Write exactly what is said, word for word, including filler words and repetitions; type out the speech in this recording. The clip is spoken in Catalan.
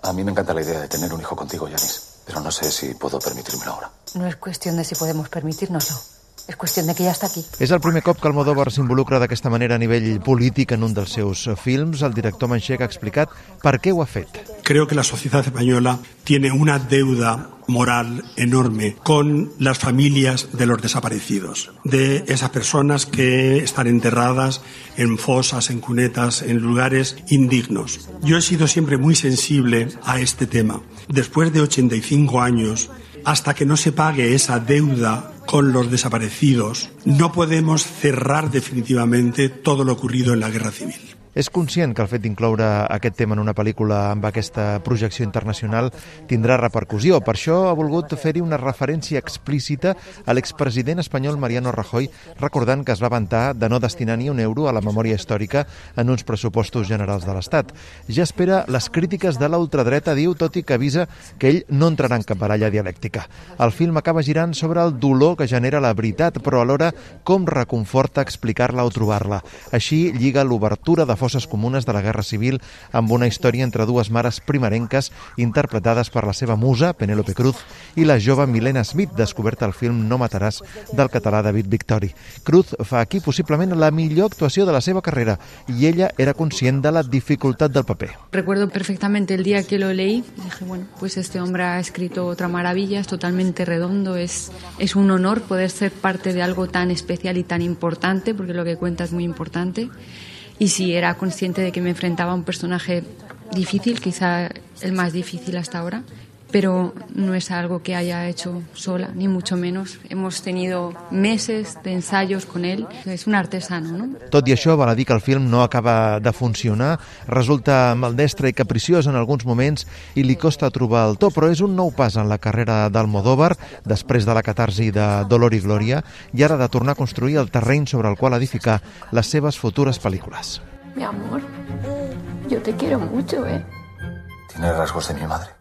A mí me encanta la idea de tener un hijo contigo, Yanis, pero no sé si puedo permitírmelo ahora. No es cuestión de si podemos permitírnoslo. És qüestió de que ja està aquí. És el primer cop que Almodóvar s'involucra d'aquesta manera a nivell polític en un dels seus films. El director manxec ha explicat per què ho ha fet. Creo que la sociedad española tiene una deuda moral enorme con las familias de los desaparecidos, de esas personas que están enterradas en fosas, en cunetas, en lugares indignos. Yo he sido siempre muy sensible a este tema. Después de ochenta y cinco años, hasta que no se pague esa deuda con los desaparecidos, no podemos cerrar definitivamente todo lo ocurrido en la Guerra Civil. És conscient que el fet d'incloure aquest tema en una pel·lícula amb aquesta projecció internacional tindrà repercussió. Per això ha volgut fer-hi una referència explícita a l'expresident espanyol Mariano Rajoy, recordant que es va vantar de no destinar ni un euro a la memòria històrica en uns pressupostos generals de l'Estat. Ja espera les crítiques de la ultradreta, diu, tot i que avisa que ell no entrarà en cap baralla dialèctica. El film acaba girant sobre el dolor que genera la veritat, però alhora com reconforta explicar-la o trobar-la. Així lliga l'obertura de fosses comunes de la Guerra Civil amb una història entre dues mares primerenques interpretades per la seva musa, Penélope Cruz, i la jove Milena Smith, descoberta al film No mataràs, del català David Victori. Cruz fa aquí possiblement la millor actuació de la seva carrera i ella era conscient de la dificultat del paper. Recuerdo perfectamente el día que lo leí y dije, bueno, pues este hombre ha escrito otra maravilla, es totalmente redondo, es, es un honor poder ser parte de algo tan especial y tan importante, porque lo que cuenta es muy importante. Y sí, era consciente de que me enfrentaba a un personaje difícil, quizá el más difícil hasta ahora, pero no es algo que haya hecho sola, ni mucho menos. Hemos tenido meses de ensayos con él. És un artesano, no? Tot i això, val a dir que el film no acaba de funcionar, resulta maldestre i capriciós en alguns moments i li costa trobar el to, però és un nou pas en la carrera d'Almodóvar, després de la catarsi de Dolor y Gloria, i ara de tornar a construir el terreny sobre el qual edificar les seves futures pel·lícules. Mi amor, yo te quiero mucho, ¿eh? Tiene rasgos de mi madre.